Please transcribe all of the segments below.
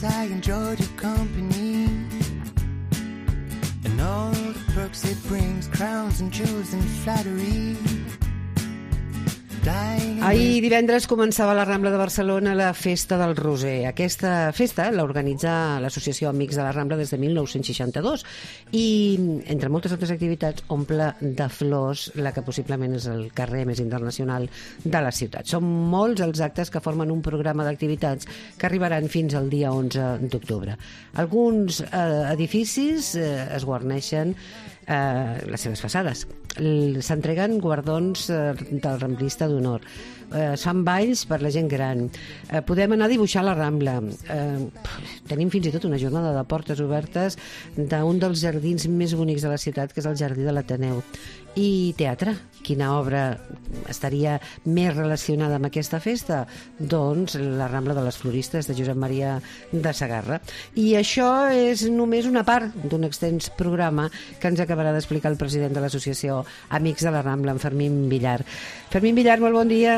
Yes, I enjoyed your company and all the perks it brings, crowns and jewels and flattery. Ahir divendres començava a la Rambla de Barcelona la Festa del Roser. Aquesta festa l'organitza l'Associació Amics de la Rambla des de 1962 i, entre moltes altres activitats, omple de flors la que possiblement és el carrer més internacional de la ciutat. Són molts els actes que formen un programa d'activitats que arribaran fins al dia 11 d'octubre. Alguns edificis es guarneixen les seves façades. S'entreguen guardons del Ramblista d'honor. Es fan balls per la gent gran. Podem anar a dibuixar a la Rambla. Tenim fins i tot una jornada de portes obertes d'un dels jardins més bonics de la ciutat, que és el Jardí de l'Ateneu. I teatre. Quina obra estaria més relacionada amb aquesta festa? Doncs la Rambla de les Floristes, de Josep Maria de Sagarra. I això és només una part d'un extens programa que ens acabarà d'explicar el president de l'associació Amics de la Rambla, en Fermín Villar. Fermín Villar, molt bon dia.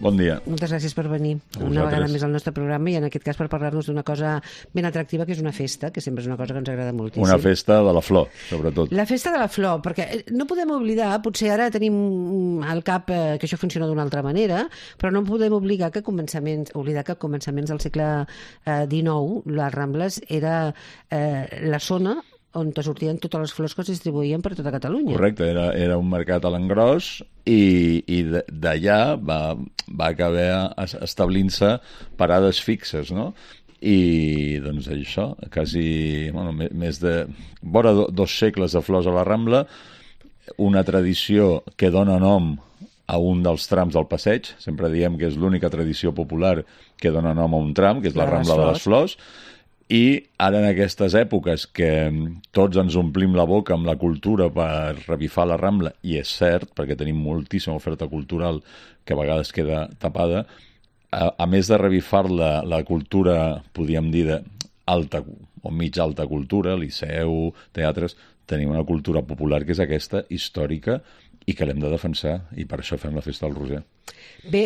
Bon dia. Moltes gràcies per venir una vegada més al nostre programa i en aquest cas per parlar-nos d'una cosa ben atractiva, que és una festa, que sempre és una cosa que ens agrada moltíssim. Una festa de la flor, sobretot. La festa de la flor, perquè no podem oblidar, potser ara tenim al cap que això funciona d'una altra manera, però no podem oblidar que a començaments del segle XIX, les Rambles era la zona on sortien totes les flors que es distribuïen per tota Catalunya. Correcte, era un mercat a l'engròs i d'allà va acabar establint-se parades fixes, no? I doncs això, quasi més de vora 2 segles de flors a la Rambla, una tradició que dona nom a un dels trams del passeig. Sempre diem que és l'única tradició popular que dona nom a un tram, que és la Rambla de les Flors. I ara en aquestes èpoques que tots ens omplim la boca amb la cultura per revifar la Rambla, i és cert, perquè tenim moltíssima oferta cultural que a vegades queda tapada, a més de revifar la cultura, podríem dir, d'alta o mig alta cultura, liceu, teatres, tenim una cultura popular que és aquesta, històrica, i que l'hem de defensar, i per això fem la Festa del Roser. Bé,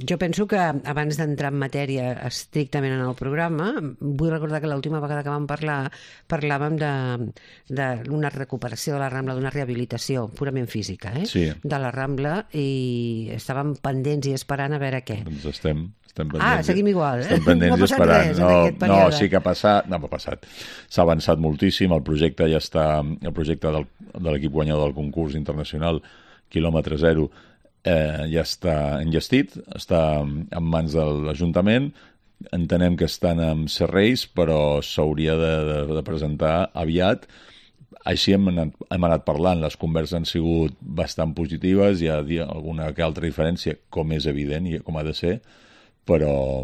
jo penso que abans d'entrar en matèria estrictament en el programa, vull recordar que l'última vegada que vam parlar parlàvem d'una recuperació de la Rambla, d'una rehabilitació purament física, Sí. de la Rambla, i estàvem pendents i esperant a veure què. Doncs estem pendents. Seguim igual. Estem pendents no i esperant. Res, en aquest període. Sí que ha passat. No, ha passat. S'ha avançat moltíssim. El projecte ja està... El projecte de l'equip guanyador del concurs internacional Quilòmetre Zero ja està enllestit, està en mans de l'Ajuntament. Entenem que estan amb serveis, però s'hauria de presentar aviat. Així hem anat parlant, les converses han sigut bastant positives, hi ha alguna que altra diferència, com és evident i com ha de ser, però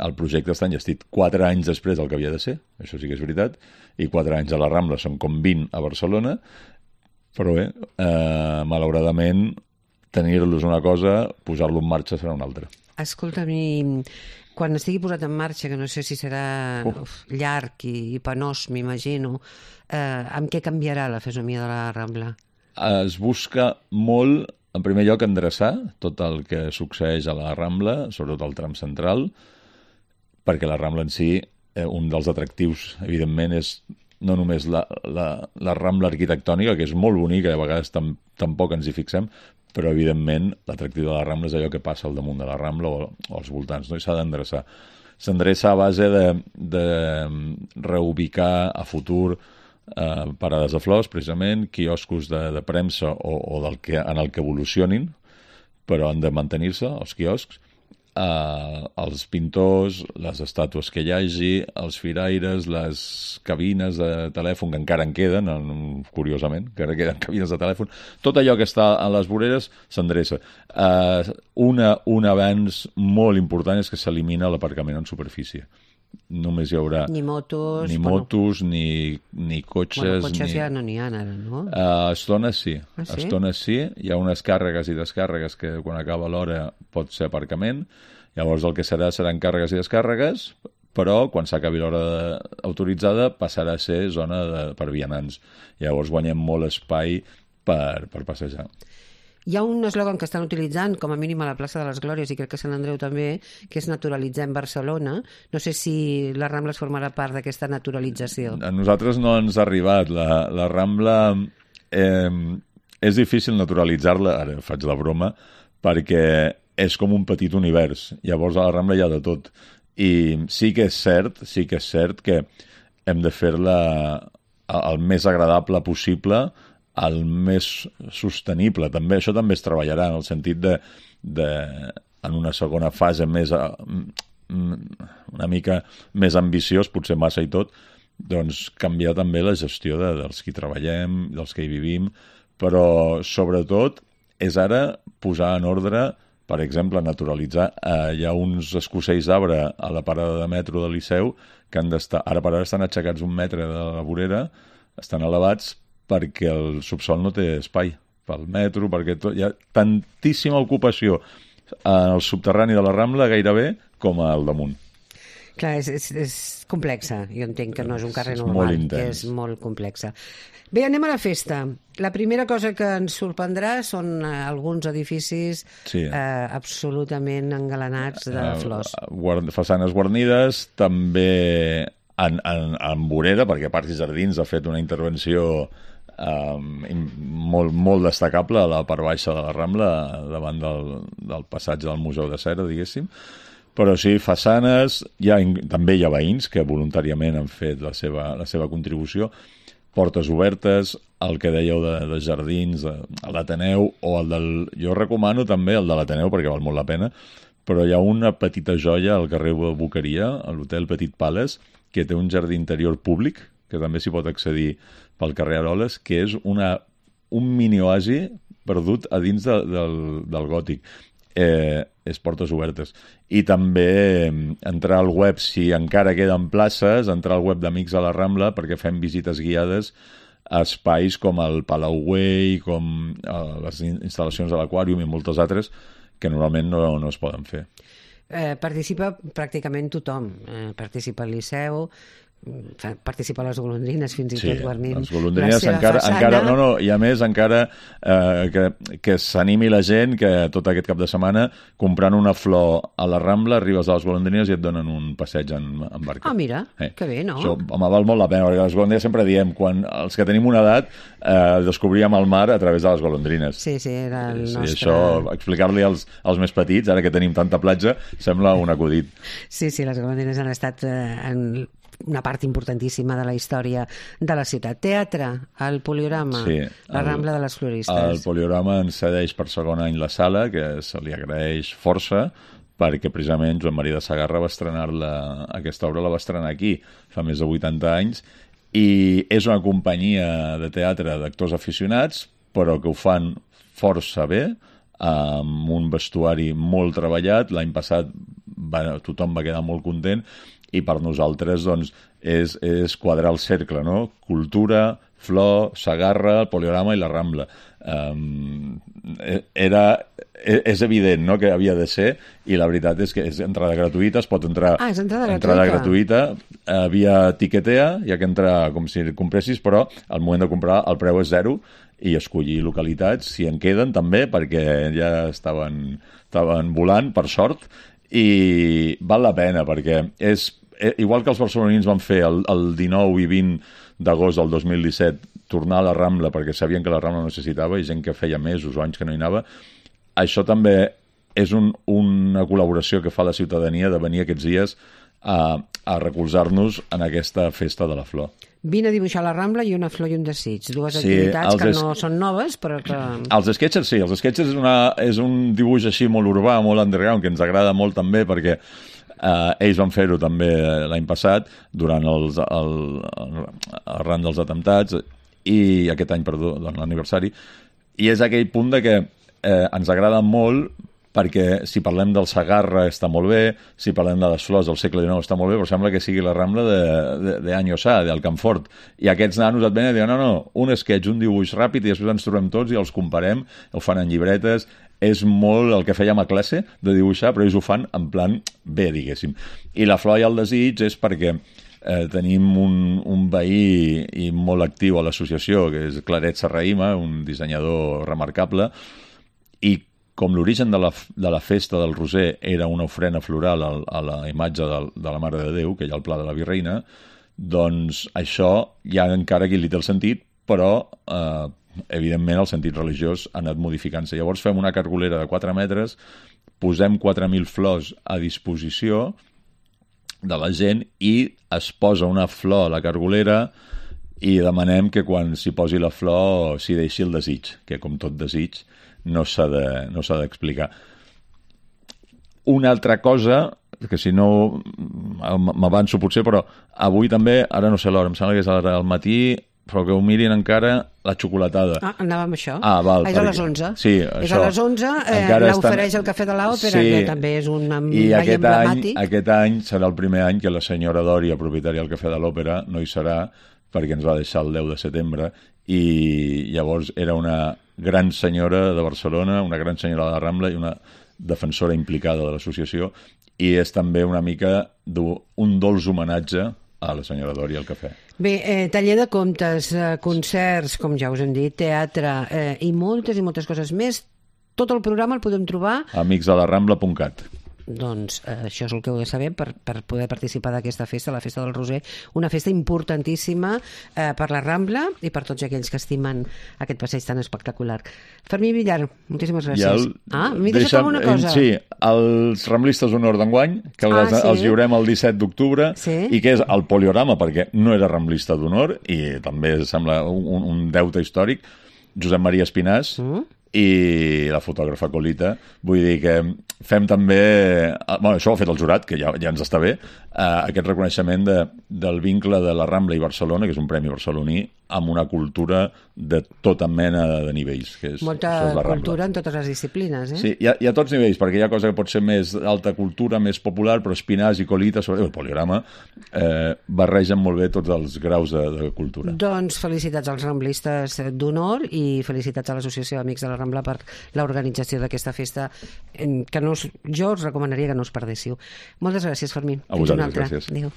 el projecte està enllestit 4 anys després del que havia de ser, això sí que és veritat, i 4 anys a la Rambla són com 20 a Barcelona, però bé, malauradament, tenir-los una cosa, posar-lo en marxa serà una altra. Escolta'm, quan estigui posat en marxa, que no sé si serà llarg i penós, m'imagino, amb què canviarà la fesomia de la Rambla? Es busca molt, en primer lloc, endreçar tot el que succeeix a la Rambla, sobretot al tram central, perquè la Rambla en si, un dels atractius, evidentment, és no només la Rambla arquitectònica, que és molt bonica i a vegades tampoc ens hi fixem, però, evidentment, l'atractiu de la Rambla és allò que passa al damunt de la Rambla o als voltants, no? I s'ha d'endreçar. S'endreça a base de reubicar a futur parades de flors, precisament, quioscos de premsa o en el que evolucionin, però han de mantenir-se, els quioscs, els pintors, les estàtues que hi hagi, els firaires, les cabines de telèfon, que encara en queden, curiosament, que encara queden cabines de telèfon, tot allò que està a les voreres s'endreça. Un avenç molt important és que s'elimina l'aparcament en superfície. Només hi haurà ni motos, ni cotxes. Cotxes ja no n'hi ha ara, no? A estones sí. Ah, sí? A estones sí. Hi ha unes càrregues i descàrregues que quan acaba l'hora pot ser aparcament. Llavors el que seran càrregues i descàrregues, però quan s'acabi l'hora autoritzada passarà a ser zona per vianants. Llavors guanyem molt espai per passejar. Hi ha un eslògan que estan utilitzant, com a mínim a la plaça de les Glòries, i crec que a Sant Andreu també, que és naturalitzem Barcelona. No sé si la Rambla es formarà part d'aquesta naturalització. A nosaltres no ens ha arribat. La Rambla és difícil naturalitzar-la, ara faig la broma, perquè és com un petit univers. Llavors a la Rambla hi ha de tot. I sí que és cert que hem de fer-la el més agradable possible, el més sostenible. També això també es treballarà en el sentit de en una segona fase més una mica més ambiciós, potser massa i tot, doncs canviar també la gestió dels que hi treballem, dels que hi vivim, però sobretot és ara posar en ordre, per exemple, naturalitzar. Hi ha uns escossells d'arbre a la parada de metro del Liceu que han d'estar, ara per ara estan aixecats 1 metre de la vorera, estan elevats perquè el subsol no té espai pel metro, perquè hi ha tantíssima ocupació en el subterrani de la Rambla gairebé com al damunt. Clar, és complexa. Jo entenc que no és un carrer És normal, molt intens. que és molt complexa. Bé, anem a la festa. La primera cosa que ens sorprendrà són alguns edificis absolutament engalanats de flors. Façanes guarnides, també en vorera, perquè Parcs i Jardins ha fet una intervenció molt destacable a la part baixa de la Rambla, davant del passatge del Museu de Cera, diguéssim. Però sí, façanes, també hi ha veïns que voluntàriament han fet la seva contribució, portes obertes, el que dèieu de jardins, l'Ateneu, o jo recomano també el de l'Ateneu perquè val molt la pena, però hi ha una petita joia al carrer Boqueria, a l'hotel Petit Palace, que té un jardí interior públic, que també s'hi pot accedir pel carrer Aroles, que és un mini-oasi perdut a dins del gòtic. És portes obertes. I també entrar al web, si encara queden places, entrar al web d'Amics a la Rambla, perquè fem visites guiades a espais com el Palau Güell, com les instal·lacions de l'Aquàrium i moltes altres que normalment no es poden fer. Participa pràcticament tothom. Participa el Liceu, participa les golondrines, fins i tot guarnint les golondrines la seva façana. I a més encara que s'animi la gent que tot aquest cap de setmana comprant una flor a la Rambla arribes a les golondrines i et donen un passeig en barca. Mira, que bé, no? Això, home, val molt la pena, perquè les golondrines sempre diem, quan els que tenim una edat descobríem el mar a través de les golondrines. Sí, era el nostre... I això, explicar-li als més petits, ara que tenim tanta platja, sembla un acudit. Sí, les golondrines han estat en una part importantíssima de la història de la ciutat. Teatre, el Poliorama, la Rambla de les Floristes. El Poliorama ens cedeix per segon any la sala, que se li agraeix força, perquè precisament Joan Maria de Sagarra va estrenar-la, aquesta obra la va estrenar aquí, fa més de 80 anys, i és una companyia de teatre d'actors aficionats, però que ho fan força bé, amb un vestuari molt treballat. L'any passat tothom va quedar molt content, i per nosaltres doncs, és quadrar el cercle, no? Cultura, flor, Sagarra, el Poliorama i la Rambla. És evident, no?, que havia de ser, i la veritat és que és entrada gratuïta, es pot entrar... és entrada gratuïta, via Tiquetea, hi ha que entrar com si compressis, però al moment de comprar el preu és 0, i escollir localitats, si en queden també, perquè ja estaven volant, per sort, i val la pena, perquè és igual que els barcelonins van fer el 19 i 20 d'agost del 2017 tornar a la Rambla perquè sabien que la Rambla necessitava, i gent que feia mesos o anys que no hi anava, això també és una col·laboració que fa la ciutadania de venir aquests dies a recolzar-nos en aquesta festa de la flor. Vine a dibuixar la Rambla i una flor i un desig. Dues activitats que no són noves, però que... Els sketches sí, els sketches és un dibuix així molt urbà, molt underground, que ens agrada molt també, perquè ells van fer-ho també l'any passat, durant arran dels atemptats, i aquest any, perdó, l'aniversari, i és aquell punt de que ens agrada molt, perquè si parlem del Sagarra està molt bé, si parlem de les flors del segle XIX està molt bé, però sembla que sigui la Rambla d'any Ossà, del Camfort. I aquests nanos et venen i diuen, no, un sketch, un dibuix ràpid, i després ens trobem tots i els comparem, ho fan en llibretes, és molt el que fèiem a classe de dibuixar, però ells ho fan en plan bé, diguéssim. I la flor i el desig és perquè tenim un veí i molt actiu a l'associació, que és Claret Serrahima, un dissenyador remarcable, com l'origen de la festa del Roser era una ofrena floral a la imatge de la Mare de Déu, que hi ha al Pla de la Virreina, doncs això hi ha encara qui li té el sentit, però evidentment el sentit religiós ha anat modificant-se. Llavors fem una cargolera de 4 metres, posem 4.000 flors a disposició de la gent i es posa una flor a la cargolera i demanem que quan s'hi posi la flor s'hi deixi el desig, que com tot desig no s'ha d'explicar. Una altra cosa, que si no m'avanço potser, però avui també, ara no sé l'hora, em sembla que és ara al matí, però que ho mirin encara, la xocolatada. Anava amb això. Val. És a les 11. Sí, és a les 11, l'ofereix el Cafè de l'Òpera, que també és un mai emblemàtic. I aquest any serà el primer any que la senyora Dòria, propietària del Cafè de l'Òpera, no hi serà, perquè ens va deixar el 10 de setembre, i llavors era una gran senyora de Barcelona, una gran senyora de la Rambla i una defensora implicada de l'associació, i és també una mica un dolç homenatge a la senyora Dòria al cafè. Bé, taller de contes, concerts, com ja us hem dit, teatre i moltes coses més. Tot el programa el podem trobar a amicsdelarambla.cat. Doncs això és el que heu de saber per poder participar d'aquesta festa, la Festa del Roser, una festa importantíssima per la Rambla i per tots aquells que estimen aquest passeig tan espectacular. Fermí Villar, moltíssimes gràcies. M'he deixat una cosa. Sí, els ramblistes d'honor d'enguany, que els lliurem el 17 d'octubre, i que és el Poliorama, perquè no era ramblista d'honor, i també sembla un deute històric, Josep Maria Espinàs, i la fotògrafa Colita. Vull dir que fem també... això ho ha fet el jurat, que ja ens està bé, aquest reconeixement del vincle de la Rambla i Barcelona, que és un premi barceloní, amb una cultura de tota mena de nivells. Que és, molta cultura en totes les disciplines, Sí, hi ha tots nivells, perquè hi ha cosa que pot ser més alta cultura, més popular, però Espinàs i Colita, el Poliorama, barregen molt bé tots els graus de cultura. Doncs felicitats als ramblistes d'honor i felicitats a l'Associació d'Amics de la Rambla per l'organització d'aquesta festa, que jo us recomanaria que no us perdéssiu. Moltes gràcies, Fermín. A vosaltres, gràcies. Adéu.